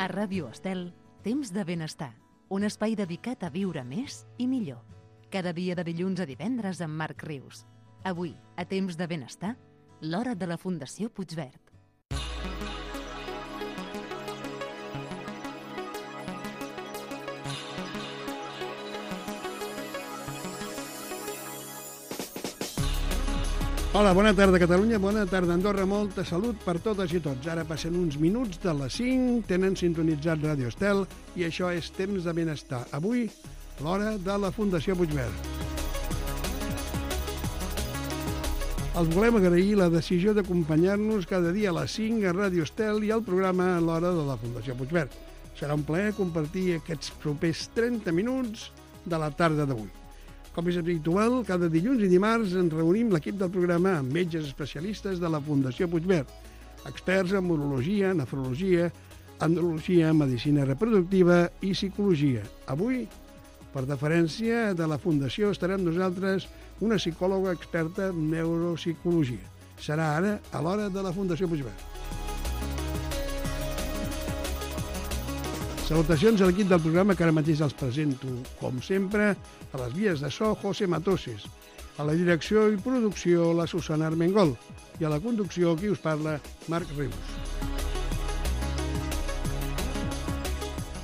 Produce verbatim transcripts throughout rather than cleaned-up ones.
A Ràdio Estel, Temps de Benestar, un espai dedicat a viure més i millor. Cada dia de dilluns a divendres amb Marc Rius. Avui, a Temps de Benestar, l'hora de la Fundació Puigverd. Hola, bona tarda Catalunya, bona tarda Andorra, molta salut per totes i tots. Ara passen uns minuts de les cinc, tenen sintonitzat Ràdio Estel i això és Temps de Benestar. Avui, l'hora de la Fundació Puigverd. Els volem agrair la decisió d'acompanyar-nos cada dia a les cinc a Ràdio Estel i al programa L'hora de la Fundació Puigverd. Serà un plaer compartir aquests propers trenta minuts de la tarda d'avui. Com és habitual, cada dilluns i dimarts ens reunim l'equip del programa amb metges especialistes de la Fundació Puigverd, experts en urologia, nefrologia, andrologia, medicina reproductiva i psicologia. Avui, per deferència de la Fundació, estarà amb nosaltres una psicòloga experta en neuropsicologia. Serà ara a l'hora de la Fundació Puigverd. Salutacions a l'equip del programa que ara mateix els presento, com sempre, a les vies de so, José Matoses, a la direcció i producció, la Susana Armengol, i a la conducció, qui us parla, Marc Rius.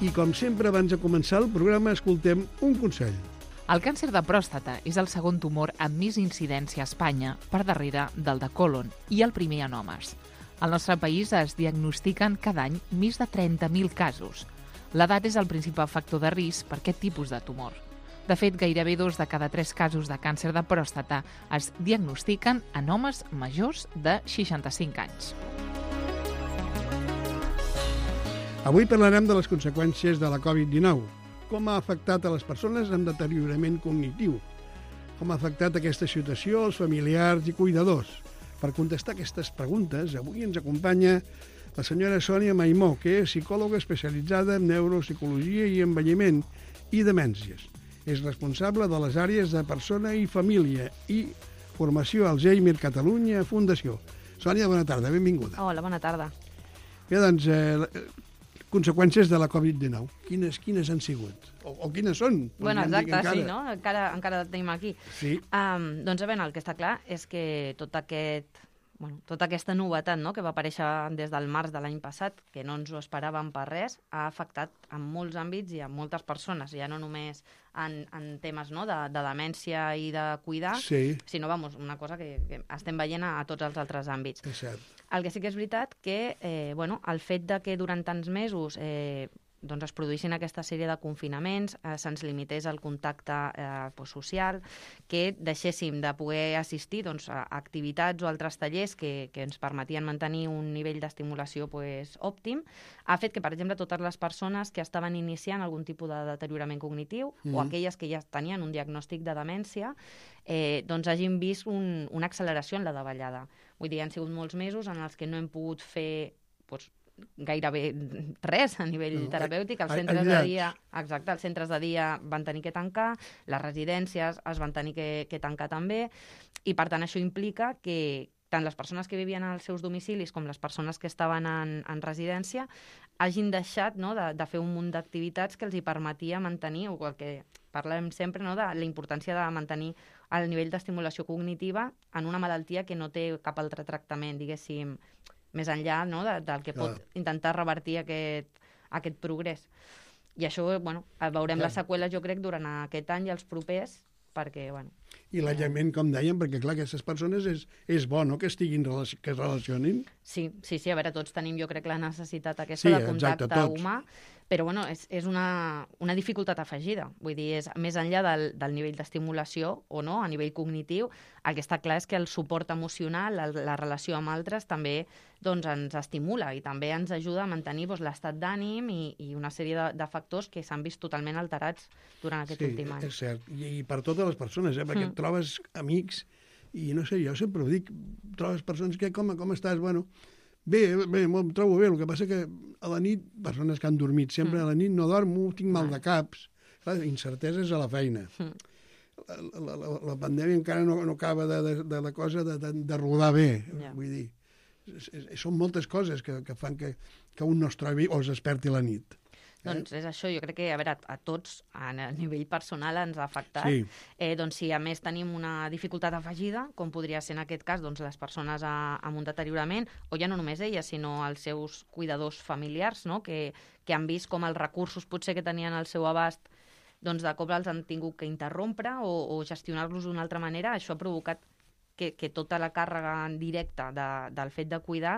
I com sempre, abans de començar el programa, escoltem un consell. El càncer de pròstata és el segon tumor amb més incidència a Espanya, per darrere del de còlon, i el primer en homes. Al nostre país es diagnostiquen cada any més de trenta mil casos. L'edat és el principal factor de risc per aquest tipus de tumor. De fet, gairebé dos de cada tres casos de càncer de pròstata es diagnostiquen en homes majors de seixanta-cinc anys. Avui parlarem de les conseqüències de la covid dinou, com ha afectat a les persones amb deteriorament cognitiu, com ha afectat aquesta situació als familiars i cuidadors. Per contestar aquestes preguntes, avui ens acompanya la senyora Sònia Maimó, que és psicòloga especialitzada en neuropsicologia i envelliment i demències. És responsable de les àrees de persona i família i formació Alzheimer Catalunya Fundació. Sònia, bona tarda, benvinguda. Hola, bona tarda. Bé, doncs, eh, conseqüències de la covid dinou. Quines, quines han sigut? O, o quines són? Bueno, exacte, sí, no? Encara, encara el tenim aquí. Sí. Um, doncs, a veure, el que està clar és que tot aquest... Bueno, tota aquesta novetat, no?, que va aparèixer des del març de l'any passat, que no ens ho esperàvem per res, ha afectat en molts àmbits i en moltes persones, ja no només en, en temes, no?, de, de demència i de cuidar, sí, sinó, vamos, una cosa que, que estem veient a, a tots els altres àmbits. És cert. El que sí que és veritat que eh, bueno, el fet de que durant tants mesos eh, doncs es produïssin aquesta sèrie de confinaments, eh, se'ns limités el contacte eh, pues, social, que deixéssim de poder assistir doncs, a activitats o altres tallers que, que ens permetien mantenir un nivell d'estimulació pues, òptim, ha fet que, per exemple, totes les persones que estaven iniciant algun tipus de deteriorament cognitiu mm. o aquelles que ja tenien un diagnòstic de demència, eh, doncs hagin vist un, una acceleració en la davallada. Vull dir, han sigut molts mesos en els que no hem pogut fer... Pues, gairebé res a nivell no, terapèutic. Els centres de dia, exacte, els centres de dia van tenir que tancar, les residències es van tenir que, que tancar també, i per tant això implica que tant les persones que vivien als seus domicilis com les persones que estaven en, en residència hagin deixat, no, de, de fer un munt d'activitats que els hi permetia mantenir, o el que parlem sempre, no, de la importància de mantenir el nivell d'estimulació cognitiva en una malaltia que no té cap altre tractament, diguéssim, més enllà, no, de, del que pot Clar. intentar revertir aquest, aquest progrés. I això, bueno, veurem Clar. les seqüeles, jo crec, durant aquest any i els propers, perquè, bueno... I l'aïllament, com dèiem, perquè, clar, aquestes persones és, és bo, no?, que estiguin, que es relacionin. Sí, sí, sí, a veure, tots tenim, jo crec, la necessitat aquesta sí, de contacte exacte, humà, però, bueno, és, és una, una dificultat afegida. Vull dir, és més enllà del, del nivell d'estimulació, o no, a nivell cognitiu, el que està clar és que el suport emocional, la, la relació amb altres, també doncs, ens estimula i també ens ajuda a mantenir doncs, l'estat d'ànim i, i una sèrie de, de factors que s'han vist totalment alterats durant aquest sí, últim any. Sí, és cert. I, I per totes les persones, eh? Perquè mm. trobes amics, i no sé, jo sempre ho dic, trobes persones que, com, com estàs? Bueno, bé, bé, em trobo bé, el que passa que a la nit, persones que han dormit sempre, mm. a la nit no dormo, tinc mal de caps, clar, incerteses a la feina. Mm. La, la, la, la pandèmia encara no, no acaba de, de, de la cosa de, de, de rodar bé, yeah. vull dir. són moltes coses que, que fan que, que un no es trobi o es desperti la nit. Doncs és això, jo crec que, a veure, a tots, a nivell personal, ens ha afectat. Sí. Eh, doncs si a més tenim una dificultat afegida, com podria ser en aquest cas doncs, les persones a, amb un deteriorament, o ja no només elles, sinó els seus cuidadors familiars, no? que, que han vist com els recursos potser que tenien al seu abast doncs de cop els han tingut que interrompre o, o gestionar-los d'una altra manera, això ha provocat que, que tota la càrrega directa de, del fet de cuidar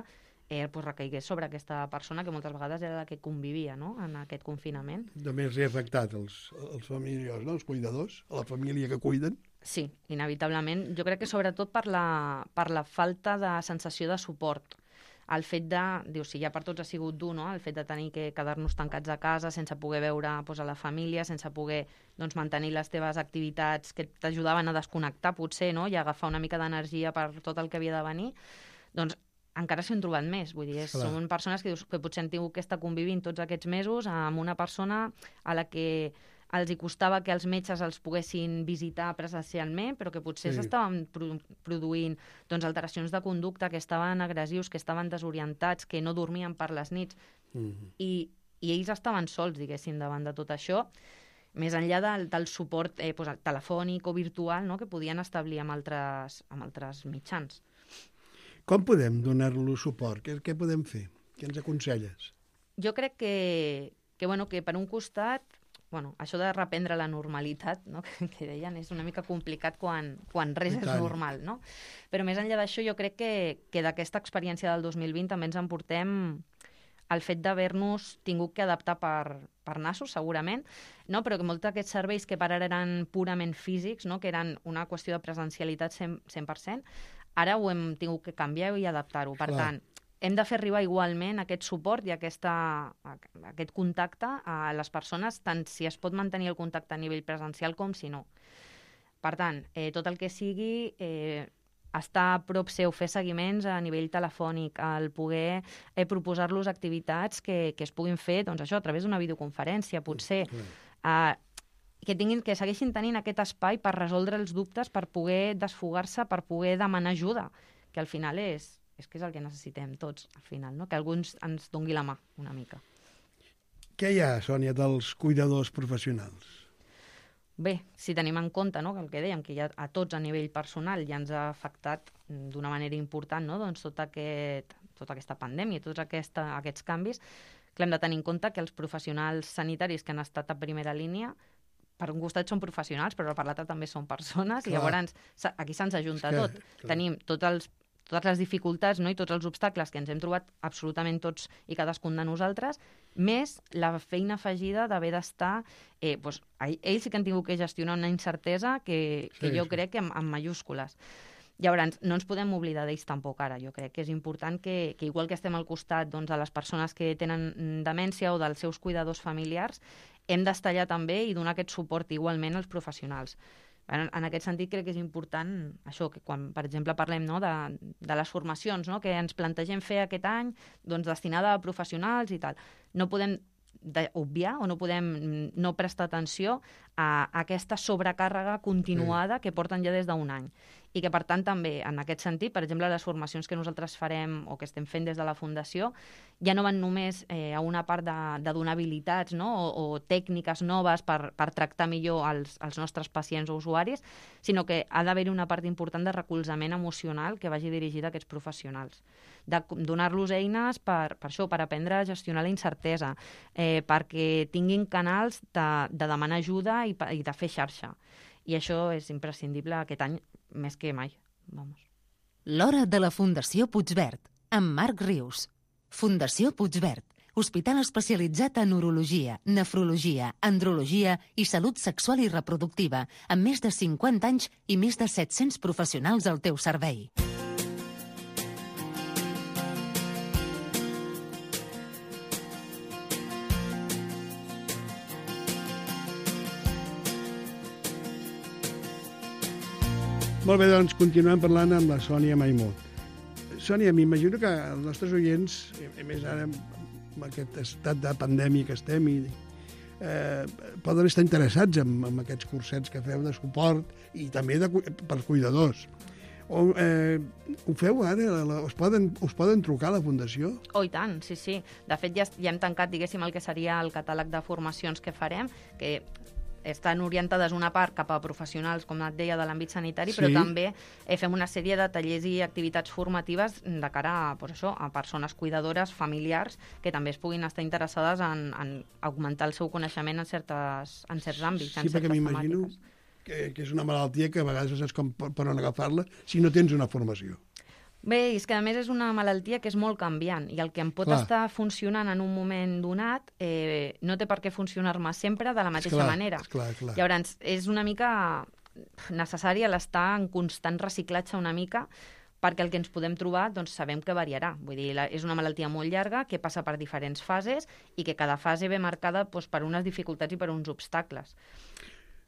eh, pues recaigués sobre aquesta persona que moltes vegades era la que convivia, no?, en aquest confinament. Només hi ha afectat els, els familiars, no?, els cuidadors, a la família que cuiden. Sí, inevitablement. Jo crec que sobretot per la, per la falta de sensació de suport. El fet de, dius, si ja per tots ha sigut dur, no?, el fet de tenir que quedar-nos tancats a casa sense poder veure pues, a la família, sense poder doncs, mantenir les teves activitats que t'ajudaven a desconnectar, potser, no?, i agafar una mica d'energia per tot el que havia de venir, doncs encara s'ho han trobat més. Vull dir, són persones que, que potser han tingut que estar convivint tots aquests mesos amb una persona a la que els hi costava que els metges els poguessin visitar presencialment, però que potser Sí. s'estaven pro produint doncs, alteracions de conducta, que estaven agressius, que estaven desorientats, que no dormien per les nits, Mm-hmm. i, i ells estaven sols, diguéssim, davant de tot això, més enllà del, del suport eh, doncs, telefònic o virtual, no?, que podien establir amb altres, amb altres mitjans. Com podem donar-lo suport? Què, què podem fer? Què ens aconselles? Jo crec que, que, bueno, que per un costat, bueno, això de reprendre la normalitat, no?, que, que deien, és una mica complicat quan, quan res I és tant. normal, no? Però més enllà d'això, jo crec que, que d'aquesta experiència del dos mil vint també ens emportem el fet d'haver-nos tingut que adaptar per, per nassos, segurament, no? Però que molts d'aquests serveis que per ara eren purament físics, no?, que eren una qüestió de presencialitat cent per cent, ara ho hem tingut que canviar i adaptar-ho. Per Clar. tant, hem de fer arribar igualment aquest suport i aquesta, aquest contacte a les persones, tant si es pot mantenir el contacte a nivell presencial com si no. Per tant, eh, tot el que sigui eh, estar a prop seu, fer seguiments a nivell telefònic, el poder eh, proposar-los activitats que, que es puguin fer, doncs això, a través d'una videoconferència, potser, eh, que tinguin, que segueixin tenint aquest espai per resoldre els dubtes, per poder desfogar-se, per poder demanar ajuda, que al final és, és que és el que necessitem tots, al final, no? Que algú ens, ens dongui la mà una mica. Què hi ha, Sònia, dels cuidadors professionals? Bé, si tenim en compte, no?, que el que dèiem, que ja a tots a nivell personal ja ens ha afectat d'una manera important, no?, doncs tot aquest, tota aquesta pandèmia, tots aquesta, aquests canvis, que hem de tenir en compte que els professionals sanitaris que han estat a primera línia, per un costat són professionals, però per l'altre també són persones, Clar. i llavors aquí se'ns ajunta És que, tot. clar. Tenim tots els, totes les dificultats, no?, i tots els obstacles que ens hem trobat absolutament tots i cadascun de nosaltres, més la feina afegida d'haver d'estar... Eh, doncs, ells sí que han tingut que gestionar una incertesa que, que Sí, jo sí. crec que amb, amb mayúscules. Llavors, no ens podem oblidar d'ells tampoc ara. Jo crec que és important que, que igual que estem al costat doncs, de les persones que tenen demència o dels seus cuidadors familiars, hem d'estar allà també i donar aquest suport igualment als professionals. En, en aquest sentit crec que és important això, que quan, per exemple, parlem, no?, de, de les formacions, no?, que ens plantegem fer aquest any, doncs destinada a professionals i tal. No podem obviar o no podem no prestar atenció a aquesta sobrecàrrega continuada que porten ja des d'un any. I que, per tant, també, en aquest sentit, per exemple, les formacions que nosaltres farem o que estem fent des de la Fundació ja no van només eh, a una part de, de donar habilitats, no?, o, o tècniques noves per, per tractar millor els, els nostres pacients o usuaris, sinó que ha d'haver-hi una part important de recolzament emocional que vagi dirigida a aquests professionals. De donar-los eines per, per això, per aprendre a gestionar la incertesa, eh, perquè tinguin canals de, de demanar ajuda i, i de fer xarxa. I això és imprescindible aquest any més que mai. Vamos. L'hora de la Fundació Puigverd, amb Marc Rius. Fundació Puigverd, hospital especialitzat en urologia, nefrologia, andrologia i salut sexual i reproductiva, amb més de cinquanta anys i més de set-cents professionals al teu servei. Molt bé, doncs continuem parlant amb la Sònia Maimut. Sònia, m'imagino que els nostres oients, a més ara amb aquest estat de pandèmia que estem, i, eh, poden estar interessats en, en aquests cursets que feu de suport i també de, per cuidadors. O, eh, ho feu ara? La, la, us, poden, us poden trucar a la Fundació? Oh, i tant, sí, sí. De fet, ja, ja hem tancat, diguéssim, el que seria el catàleg de formacions que farem, que estan orientades una part cap a professionals, com et deia, de l'àmbit sanitari, sí. Però també eh, fem una sèrie de tallers i activitats formatives de cara a, pues això, a persones cuidadores, familiars, que també es puguin estar interessades en, en augmentar el seu coneixement en, certes, en certs àmbits, sí, en certes perquè m'imagino que, que és una malaltia que a vegades no saps com per on agafar-la si no tens una formació. Bé, és que a més és una malaltia que és molt canviant i el que em pot clar. estar funcionant en un moment donat eh, no té per què funcionar-me sempre de la mateixa esclar, manera. Esclar, esclar. Llavors, és una mica necessari l'estar en constant reciclatge una mica perquè el que ens podem trobar doncs, sabem que variarà. Vull dir, la, és una malaltia molt llarga que passa per diferents fases i que cada fase ve marcada doncs, per unes dificultats i per uns obstacles.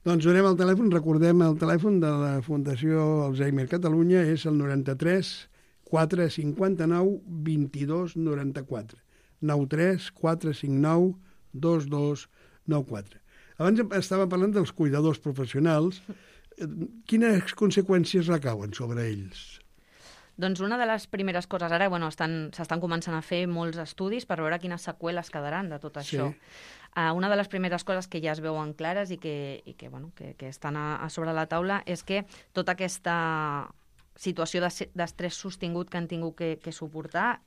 Doncs donem el telèfon, recordem el telèfon de la Fundació Alzheimer Catalunya, és el noranta-tres quatre cinquanta-nou vint-i-dos noranta-quatre. nou tres quatre cinc nou dos dos nou quatre. Abans estava parlant dels cuidadors professionals. Quines conseqüències recauen sobre ells? Doncs una de les primeres coses, ara bueno, estan, s'estan començant a fer molts estudis per veure quines seqüeles quedaran de tot això. Sí. Uh, una de les primeres coses que ja es veuen clares i que, i que, bueno, que, que estan a, a sobre la taula és que tota aquesta situació d'estrès sostingut que han tingut que, que suportar,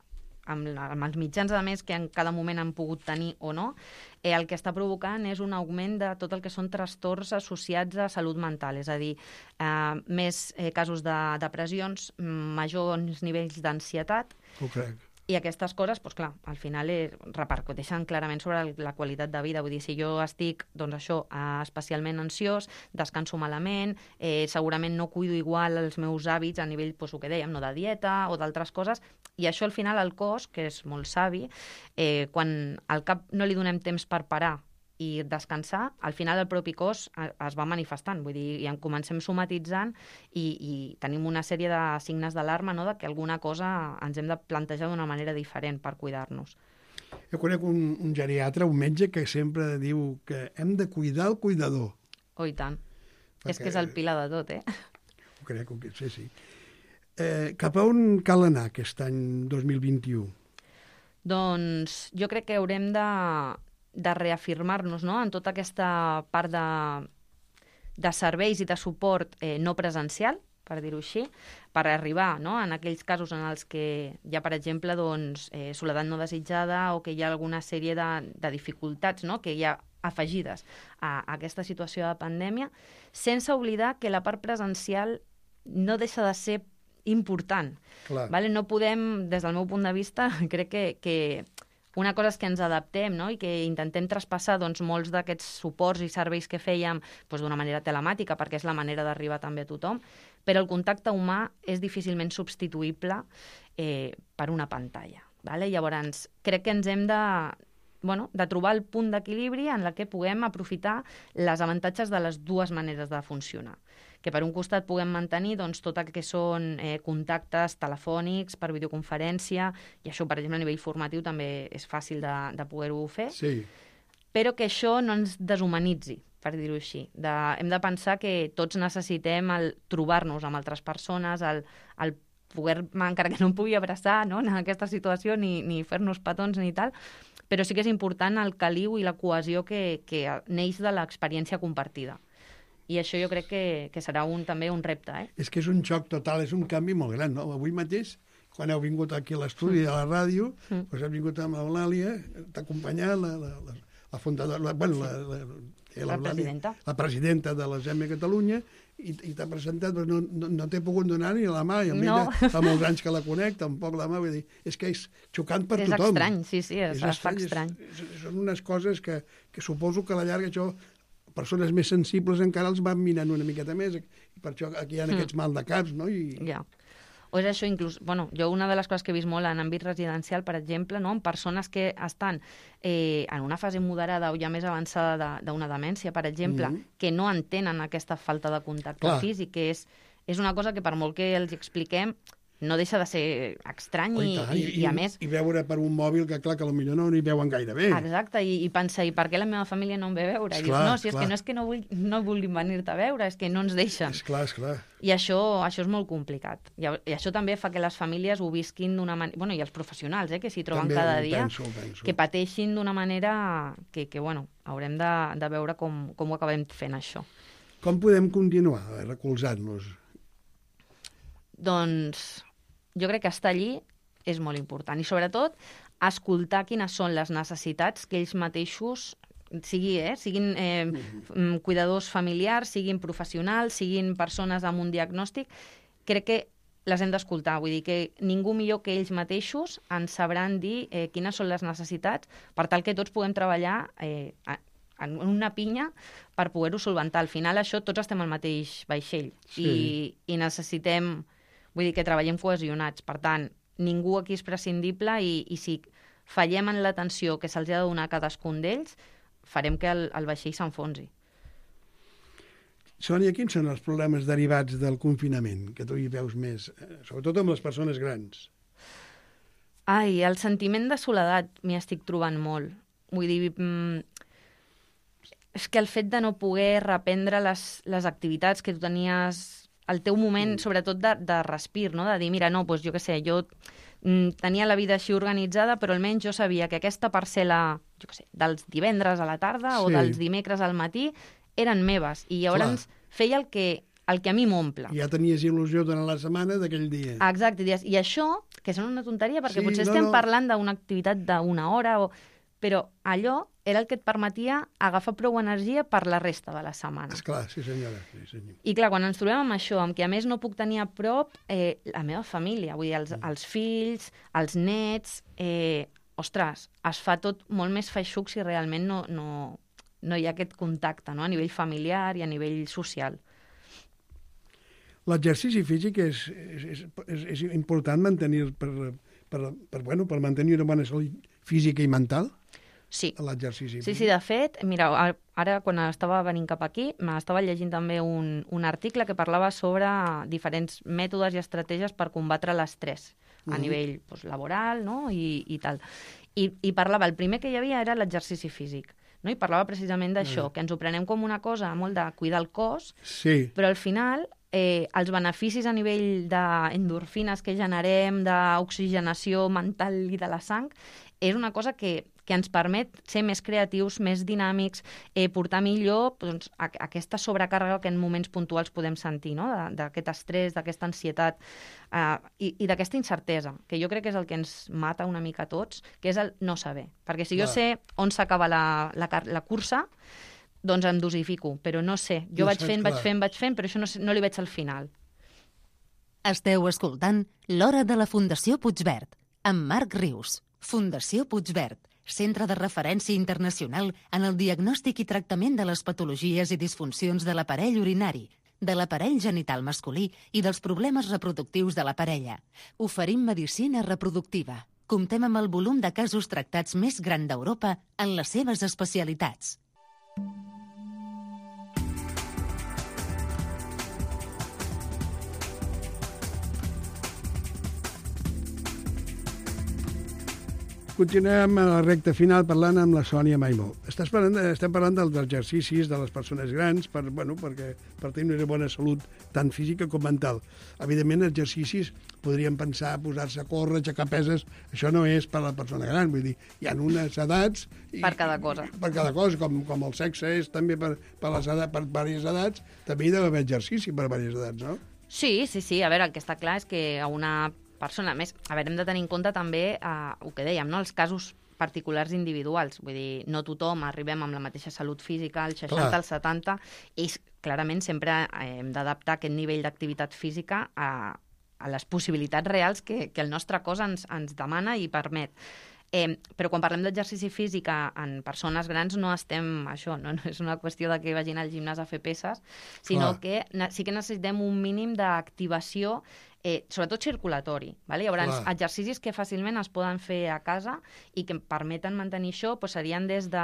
amb, amb els mitjans, a més, que en cada moment han pogut tenir o no, eh, el que està provocant és un augment de tot el que són trastorns associats a salut mental, és a dir, eh, més eh, casos de depressions, majors nivells d'ansietat. Ho crec. I aquestes coses, doncs clar, al final eh, repercuteixen clarament sobre la qualitat de vida. Vull dir, si jo estic, doncs això, eh, especialment ansiós, descanso malament, eh, segurament no cuido igual els meus hàbits a nivell, doncs, el que dèiem, no, de dieta o d'altres coses, i això al final el cos, que és molt savi, eh, quan al cap no li donem temps per parar i descansar, al final el propi cos es va manifestant, vull dir, i en comencem somatitzant i, i tenim una sèrie de signes d'alarma, no?, de que alguna cosa ens hem de plantejar d'una manera diferent per cuidar-nos. Jo conec un, un geriatre, un metge, que sempre diu que hem de cuidar el cuidador. Oh, i tant. Perquè... És que és el pilar de tot, eh? Ho crec, sí, sí. Eh, cap a on cal anar aquest any dos mil vint-i-u? Doncs jo crec que haurem de de reafirmar-nos, no?, en tota aquesta part de, de serveis i de suport eh, no presencial, per dir-ho així, per arribar, no?, en aquells casos en els que hi ha, per exemple, doncs, eh, soledat no desitjada o que hi ha alguna sèrie de, de dificultats, no?, que hi ha afegides a, a aquesta situació de pandèmia, sense oblidar que la part presencial no deixa de ser important. Clar. Vale? No podem, des del meu punt de vista, crec que, que una cosa és que ens adaptem, no?, i que intentem traspassar doncs, molts d'aquests suports i serveis que fèiem doncs, d'una manera telemàtica, perquè és la manera d'arribar també a tothom, però el contacte humà és difícilment substituïble eh, per una pantalla. Vale? Llavors, crec que ens hem de, bueno, de trobar el punt d'equilibri en la que puguem aprofitar les avantatges de les dues maneres de funcionar. Que per un costat puguem mantenir doncs, tot el que són eh, contactes telefònics per videoconferència, i això, per exemple, a nivell formatiu també és fàcil de, de poder-ho fer, sí. Però que això no ens deshumanitzi, per dir-ho així. De, hem de pensar que tots necessitem el trobar-nos amb altres persones, el, el poder, encara que no em pugui abraçar, no?, en aquesta situació, ni, ni fer-nos petons ni tal, però sí que és important el caliu i la cohesió que, que neix de l'experiència compartida. I això jo crec que, que serà un, també un repte. Eh? És que és un xoc total, és un canvi molt gran, no? Avui mateix, quan heu vingut aquí a l'estudi de la ràdio, mm. doncs heu vingut amb l'Eulàlia, t'ha acompanyat la, la, la, la fundadora, la, bueno, la, la, la, la presidenta. La presidenta de l'Alzheimer Catalunya, i, i t'ha presentat, però no, no, no t'he pogut donar ni la mà, i a mi no. fa molts anys que la conec, tampoc la mà, vull dir, és que és xocant per és tothom. És estrany, sí, sí, és, es fa estrany. És, és, són unes coses que, que suposo que a la llarga això persones més sensibles encara els van mirant una miqueta més, i per això aquí hi ha mm. aquests mal de caps, no? I... Ja. O és això, inclús, bueno, jo una de les coses que he vist molt en àmbit residencial, per exemple, no? En persones que estan eh, en una fase moderada o ja més avançada d'una de, demència, per exemple, mm. que no entenen aquesta falta de contacte Clar. físic, que és, és una cosa que per molt que els expliquem no deixa de ser estrany oh, i, i, i, i, a més... I veure per un mòbil que, clar, que potser no hi veuen gaire bé. Exacte, i, i pensar, i per què la meva família no em ve a veure? I dius, no, si és que no és que no, vull, no vulguin venir-te a veure, és que no ens deixen. És clar, és clar. I això, això és molt complicat. I, I això també fa que les famílies ho visquin d'una manera... Bueno, i els professionals, eh, que s'hi troben també cada dia, penso, penso. que pateixin d'una manera que, que bueno, haurem de, de veure com, com ho acabem fent, això. Com podem continuar recolzant-nos? Doncs jo crec que estar allí és molt important. I sobretot, escoltar quines són les necessitats que ells mateixos sigui, eh, siguin eh, mm. cuidadors familiars, siguin professionals, siguin persones amb un diagnòstic, crec que les hem d'escoltar. Vull dir que ningú millor que ells mateixos ens sabran dir eh, quines són les necessitats per tal que tots puguem treballar eh, en una pinya per poder-ho solventar. Al final, això, tots estem al mateix vaixell sí. i, i necessitem, vull dir que treballem cohesionats. Per tant, ningú aquí és prescindible i, i si fallem en l'atenció que se'ls ha de donar a cadascun d'ells, farem que el, el vaixell s'enfonsi. Sònia, quins són els problemes derivats del confinament, que tu hi veus més, sobretot amb les persones grans? Ai, el sentiment de soledat m'hi estic trobant molt. Vull dir, mm, és que el fet de no poder reprendre les, les activitats que tu tenies, el teu moment, mm. sobretot de, de respir, no? De dir, mira, no, doncs jo què sé, jo mm, tenia la vida així organitzada, però almenys jo sabia que aquesta parcel·la, jo què sé, dels divendres a la tarda sí. o dels dimecres al matí eren meves, i llavors Clar. feia el que, el que a mi m'omple. Ja tenies il·lusió durant la setmana d'aquell dia. Exacte, i això, que sona una tonteria, perquè sí, potser no, estem no. parlant d'una activitat d'una hora, o... però allò era el que et permetia agafar prou energia per la resta de la setmana. Esclar, sí senyora. Sí, senyor. I clar, quan ens trobem amb això, amb que a més no puc tenir a prop eh, la meva família, vull dir, els, mm. els fills, els nets, eh, ostres, es fa tot molt més feixuc si realment no, no, no hi ha aquest contacte, no? A nivell familiar i a nivell social. L'exercici físic és, és, és, és important mantenir per, per, per, bueno, per mantenir una bona salut física i mental? Sí. L'exercici sí, sí, de fet, mira, ara quan estava venint cap aquí, m'estava llegint també un, un article que parlava sobre diferents mètodes i estratègies per combatre l'estrès a uh-huh. nivell doncs, laboral, no? I, i tal. I, I parlava, el primer que hi havia era l'exercici físic. No? I parlava precisament d'això, uh-huh. que ens ho prenem com una cosa molt de cuidar el cos, sí. però al final eh, els beneficis a nivell d'endorfines que generem, d'oxigenació mental i de la sang, és una cosa que, que ens permet ser més creatius, més dinàmics, eh, portar millor doncs, a, a aquesta sobrecàrrega que en moments puntuals podem sentir, no? D'aquest estrès, d'aquesta ansietat eh, i, i d'aquesta incertesa, que jo crec que és el que ens mata una mica a tots, que és el no saber. Perquè si jo Clar. sé on s'acaba la, la, la cursa, doncs em dosifico, però no sé. Jo no vaig fent, clar. vaig fent, vaig fent, però això no, no li veig al final. Esteu escoltant l'Hora de la Fundació Puigverd, amb Marc Rius. Fundació Puigverd, centre de referència internacional en el diagnòstic i tractament de les patologies i disfuncions de l'aparell urinari, de l'aparell genital masculí i dels problemes reproductius de la parella. Oferim medicina reproductiva. Comptem amb el volum de casos tractats més gran d'Europa en les seves especialitats. Continuem a la recta final parlant amb la Sònia Maimó. Estàs parlant, estem parlant dels exercicis de les persones grans per, bueno, perquè, per tenir una bona salut tant física com mental. Evidentment, exercicis podríem pensar posar-se a córrer, aixecar peses, això no és per a la persona gran, vull dir, hi ha unes edats... I, per cada cosa. Per cada cosa, com, com el sexe és també per, per, les edats, per diverses edats, també hi ha d'haver exercici per diverses edats, no? Sí, sí, sí. A veure, el que està clar és que a una persona, a més, a veure, hem de tenir en compte també eh, el que dèiem, no? Els casos particulars individuals. Vull dir, no tothom arribem amb la mateixa salut física, al seixanta, al setanta, i clarament sempre hem d'adaptar aquest nivell d'activitat física a, a les possibilitats reals que, que el nostre cos ens, ens demana i permet. Eh, però quan parlem d'exercici físic en persones grans no estem, això, no, no és una qüestió de que vagin al gimnàs a fer peses, sinó Clar. que sí que necessitem un mínim d'activació eh, sobretot circulatori. Vale? Llavors, Clar. exercicis que fàcilment es poden fer a casa i que em permeten mantenir això doncs serien des de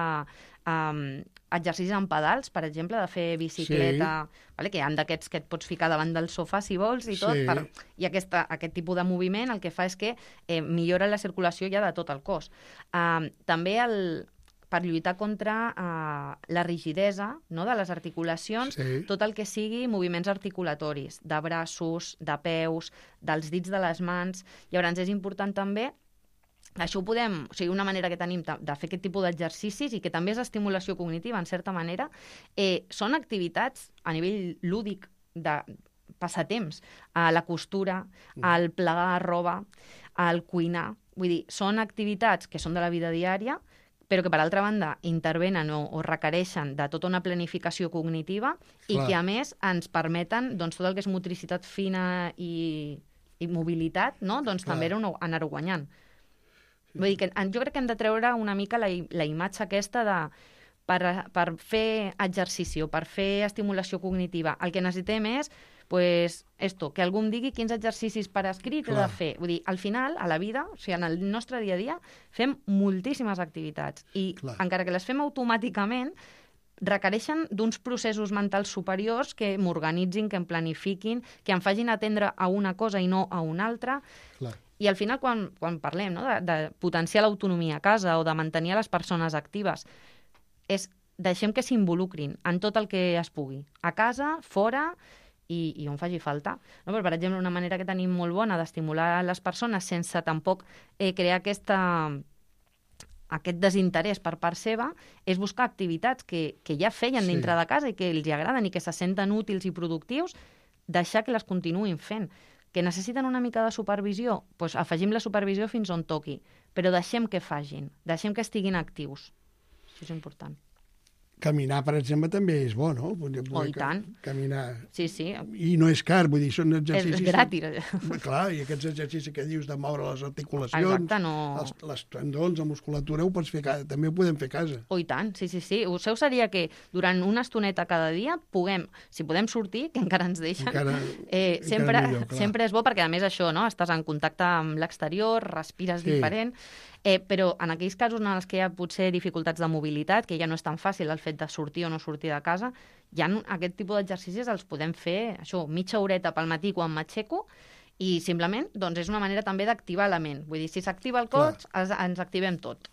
um, exercicis amb pedals, per exemple, de fer bicicleta, sí. vale? Que hi ha d'aquests que et pots ficar davant del sofà si vols i tot, Sí. per, i aquesta, aquest tipus de moviment el que fa és que eh, millora la circulació ja de tot el cos. Um, també el, per lluitar contra uh, la rigidesa, no?, de les articulacions, Sí. tot el que sigui moviments articulatoris, de braços, de peus, dels dits de les mans. Llavors és important també, això ho podem, o sigui, una manera que tenim de fer aquest tipus d'exercicis i que també és estimulació cognitiva, en certa manera, eh, són activitats a nivell lúdic de passatemps, a la costura, al plegar roba, al cuinar. Vull dir, són activitats que són de la vida diària, però que, per altra banda, intervenen o, o requereixen de tota una planificació cognitiva i Clar. que, a més, ens permeten doncs, tot el que és motricitat fina i, i mobilitat, no? doncs Clar. també anar-ho anar guanyant. Vull dir que jo crec que hem de treure una mica la, la imatge aquesta de per, per fer exercici o per fer estimulació cognitiva. El que necessitem és pues, esto, que algú em digui quins exercicis per escrit he de Clar. fer. Vull dir, al final, a la vida, o sigui, en el nostre dia a dia, fem moltíssimes activitats i Clar. encara que les fem automàticament, requereixen d'uns processos mentals superiors que m'organitzin, que em planifiquin, que em facin atendre a una cosa i no a una altra. Clar. I al final, quan, quan parlem no, de, de potenciar l'autonomia a casa o de mantenir les persones actives, és deixem que s'involucrin en tot el que es pugui, a casa, fora i, i on faci falta. No? Però, per exemple, una manera que tenim molt bona d'estimular les persones sense tampoc eh, crear aquesta, aquest desinterès per part seva és buscar activitats que, que ja feien Sí. dintre de casa i que els agraden i que se senten útils i productius, deixar que les continuïn fent. Que necessiten una mica de supervisió? Doncs afegim la supervisió fins on toqui, però deixem que facin, deixem que estiguin actius. Això és important. Caminar, per exemple, també és bo, no? Poder, Oh, i tant. Caminar. Sí, sí, I no és car, vull dir, són és, exercicis... és gratis. Clar, i aquests exercicis que dius de moure les articulacions, Exacte, no... els, les tendons, la musculatura, ho pots fer, a- també ho podem fer a casa. Oh, i tant, sí, sí, sí. El seu seria que durant una estoneta cada dia puguem, si podem sortir, que encara ens deixen, Encara, eh, encara sempre, millor, clar. sempre és bo perquè, a més, això, no? Estàs en contacte amb l'exterior, respires Sí. diferent, eh, però en aquells casos en els que hi ha potser dificultats de mobilitat, que ja no és tan fàcil el fet de sortir o no sortir de casa, ja aquest tipus d'exercicis els podem fer, això, mitja horeta pel matí quan m'aixeco, i simplement doncs, és una manera també d'activar la ment. Vull dir, si s'activa el cos, es, ens activem tot.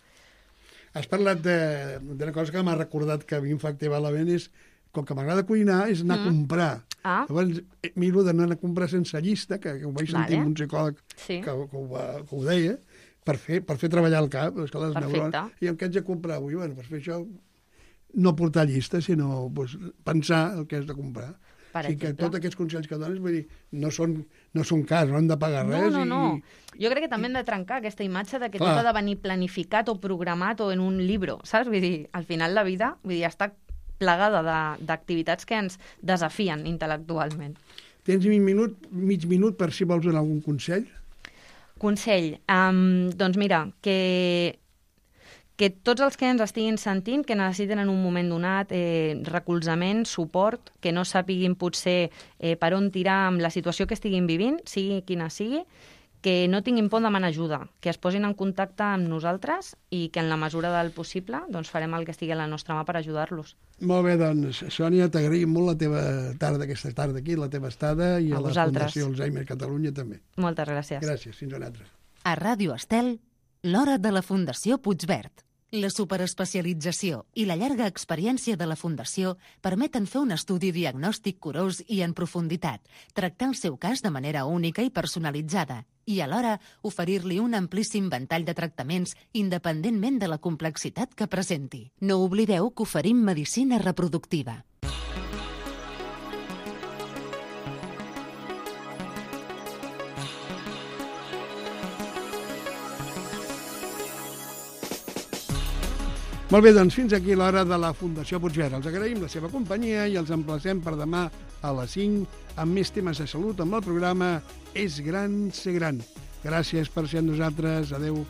Has parlat de- d'una cosa que m'ha recordat que a mi em fa activar la ment, és, com que m'agrada cuinar, és anar mm. a comprar. Ah. Llavors, eh, miro d'anar a comprar sense llista, que, que ho vaig sentir Vale. amb un psicòleg Sí. que, que, ho, va- que ho deia, per fer, per fer treballar el cap, les, les Perfecte. neurones. I el que haig de comprar avui, bueno, per fer això, no portar llista, sinó pues, pensar el que has de comprar. Per o sigui que exemple. tots aquests consells que dones, vull dir, no són, no són cars, no hem de pagar No, res. no, no. I, Jo crec que també hem de trencar aquesta imatge de que Clar. tot ha de venir planificat o programat o en un llibre, saps? Vull dir, al final la vida vull dir, està plegada de- d'activitats que ens desafien intel·lectualment. Tens mig minut, mig minut per si vols donar algun consell? Consell, um, doncs mira, que, que tots els que ens estiguin sentint, que necessiten en un moment donat eh, recolzament, suport, que no sàpiguin potser eh, per on tirar amb la situació que estiguin vivint, sigui quina sigui, que no tinguin por de demanar ajuda, que es posin en contacte amb nosaltres i que en la mesura del possible doncs, farem el que estigui a la nostra mà per ajudar-los. Molt bé, doncs, Sònia, t'agraïm molt la teva tarda, aquesta tarda aquí, la teva estada, i A a, la vosaltres. Fundació Alzheimer Catalunya també. Moltes gràcies. Gràcies, fins una altra. A Ràdio Estel, l'hora de la Fundació Puigverd. La superespecialització i la llarga experiència de la Fundació permeten fer un estudi diagnòstic curós i en profunditat, tractar el seu cas de manera única i personalitzada i alhora oferir-li un amplíssim ventall de tractaments independentment de la complexitat que presenti. No oblideu que oferim medicina reproductiva. Molt bé, doncs fins aquí l'hora de la Fundació Puigverd. Els agraïm la seva companyia i els emplacem per demà a les cinc amb més temes de salut amb el programa És gran ser gran. Gràcies per ser amb nosaltres. Adéu.